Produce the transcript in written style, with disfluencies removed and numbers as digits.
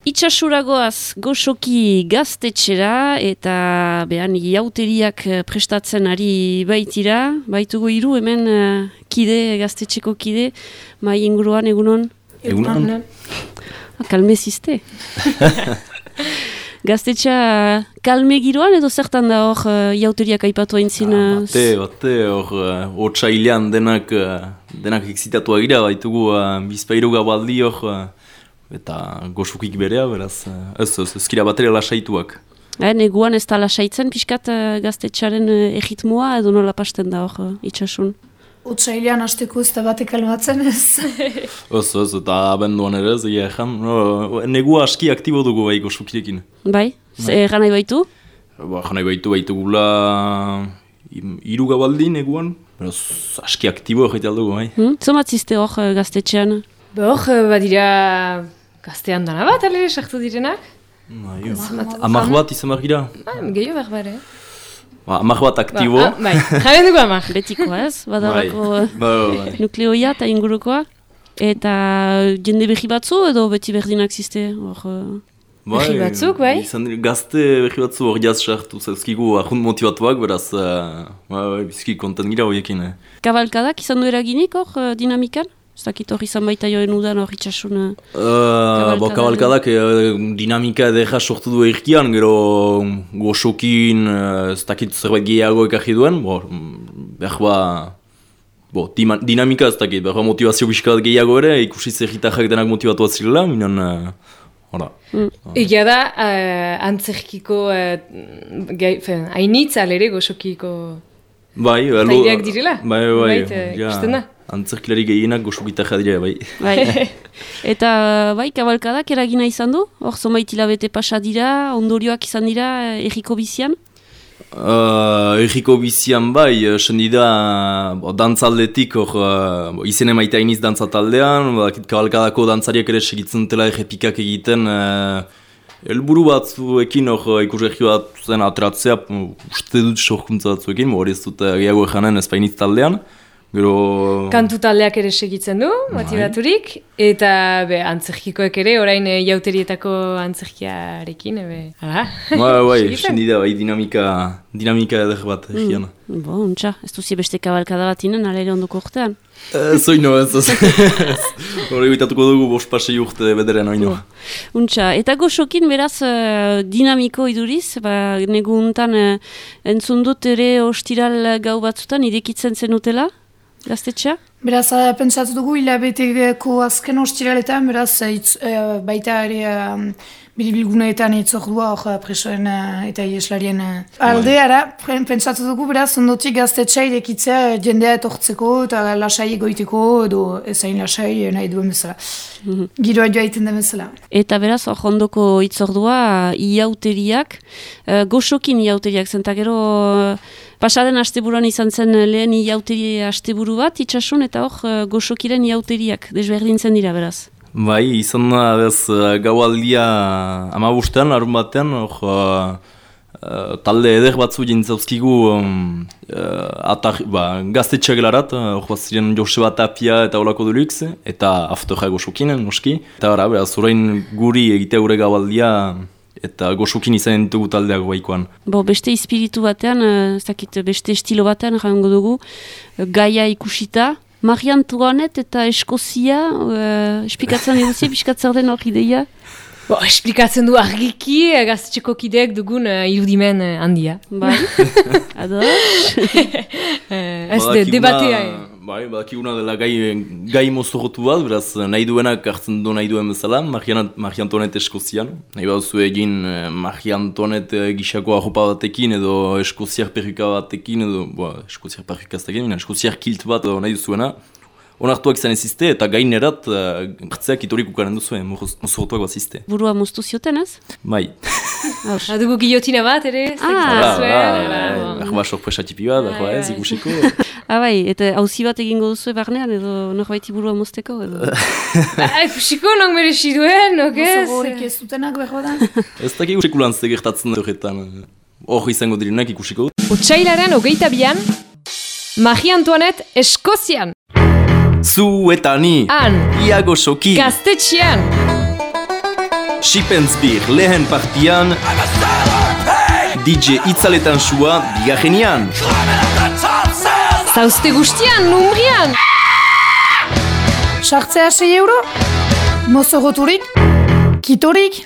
Itxasuragoaz goxoki gaztetxera eta behan jauteriak prestatzen ari baitira. Baitugu hiru hemen kide, gaztetxeko kide, mai inguruan egunon? Egunon. Kalmezizte. Gaztetxa kalme giroan edo zertan da hor jauteriak aipatu aintzin? Bate, hor otsailean denak exitatua gira, baitugu bizpairu gabaldi hor, eta goxukik berea, beraz, ezkira batera lasaituak. Neguan ez da lasaitzen pixkat gaztetxaren erritmoa edo nola pasten da hor itxasun? Otsailean hasteko ez da batek almatzen ez. Ez, eta abenduan ere ez, negua aski aktibo dugu bai goxukirekin. Bai? Erran nahi baitu? Erran nahi baitugula hiru gabaldi neguan, beraz aski aktibo egite aldugu bai. Zomatzizte hor gaztetxean? Badira gaztean dana bat, alere, sartu direnak? Amak bat izan behar gira? Gehiago behar bare. Amak bat aktibo. Bai, jaren dugu amak. Betiko ez, badarako nukleoia eta ingurukoa. Eta jende behi batzu edo beti berdinak ziste? Behi batzuk, bai? Gazte behi batzu hor jaz sartu zauzkigu ahunt motivatuak, beraz bizki konten gira horiekin. Kabalkadak izan du eraginik hor dinamikan? Ez dakit hori izan baita joen udan hori itxasun kabalkadak dinamika edera sortu du erkian, gero goxokin ez dakit zerbait gehiago ekarri duen, dinamika ez dakit, behar motivazio bizkalat gehiago ere, ikusi zerritarrak denak motivatu zirela, minon, hora. Egia da, antzerkiko hainitza alere goxokiko taideak direla? Bai, ikusten da. Antzerkilari gehienak goxukitarra dira, bai. Eta bai, kabalkadak eragina izan du? Hor zonbait hilabete pasa dira, ondorioak izan dira erriko bizian? Erriko bizian bai, sendida dantzaldetik, izen emaita iniz dantzataldean, kabalkadako dantzariak ere segitzen dela errepikak egiten, helburu batzuekin ikus erri bat zen ateratzea, uste dut sorkuntza batzuekin, hori ez dut gehiago ejanen ezpainitz taldean. Kantu taldeak ere segitzen du, motivaturik, eta antzerkikoek ere, orain jauterietako antzerkiarekin, Bai, sendida, dinamika eder bat egian. Untxa, ez duzie beste kabalkada bat inen, alere ondoko urtean? Zoino ez, hori bitatuko dugu bospasei urte bederen oino. Untxa, eta goxokin beraz dinamiko iduriz, negu untan entzun dut ere ostiral gau batzutan irekitzen zenutela? Gaztetxea? Beraz, pentsatu dugu hilabeteko azken ostiraletan, beraz, baita ere biribilguneetan itzordua presoen eta ieslarien aldeara. Pentsatu dugu, beraz, ondotik gaztetxea irekitzea jendea etortzeko eta lasai egoiteko edo ezain lasai nahi duen bezala. Giroa joaiten den bezala. Eta beraz, hor ondoko itzordua iauteriak, goxokin iauteriak zentakero pasaden asteburuan izan zen lehen iauteri asteburu bat, itxasun, eta hor goxokiren iauteriak, desberdintzen dira, beraz. Bai, izan da, gaualdia amabustean, arun batean, talde eder batzu jintzauzkigu gaztetxeak larat, hor ziren Joseba Tapia eta Olako Dulux, eta afterra goxokinen, noski. Eta beraz, orain guri egitea gure gaualdia, eta goxokin izan ditugu taldeak baikoan. Beste espiritu batean, beste estilo batean, jango dugu, gaia ikusita, Marie Antoinette eta Eskozia, esplikatzen eguzi, piskatzen den hor ideia? Esplikatzen du argiki, gaztetxeko kideak dugun irudimen handia. Bai, ados? Ez debatea. Bai, badakiguna dela gai mozorotu bat, beraz nahi duenak hartzen du nahi duen bezala, Marie Antoinette Eskozian. Nahi baduzu egin Marie Antoinette gixako arropa batekin edo Eskoziar perruka batekin edo, Eskoziar perruka batekin, Eskoziar kilt bat nahi duzuena. Onartuak izan ezizte eta gainerat hartzeak itorik ukaren duzu, mozorotuak bat zizte. Burua moztu zioten ez? Bai. Dugu gillotina bat ere? Berba sorpresa tipi bat, ez ikusiko. Bai, eta hauzi bat egingo duzu barnean edo norbaiti burua mozteko edo? Ikusiko, non merezi duen, okez? Mozo horrek ez dutenak behar da? Ez dakik usikulan zegertatzen horretan. Hor izango direnak ikusiko. Otsailaren 22an, Marie Antoinette Eskozian. Zu eta ni, Han, Iago Soki, Gaztetxean. Shippensbir lehen partian, DJ Itzaletan sua bigarrenian. Zauzte guztian, numbrian! Sartzea €6, mozoroturik, kitorik.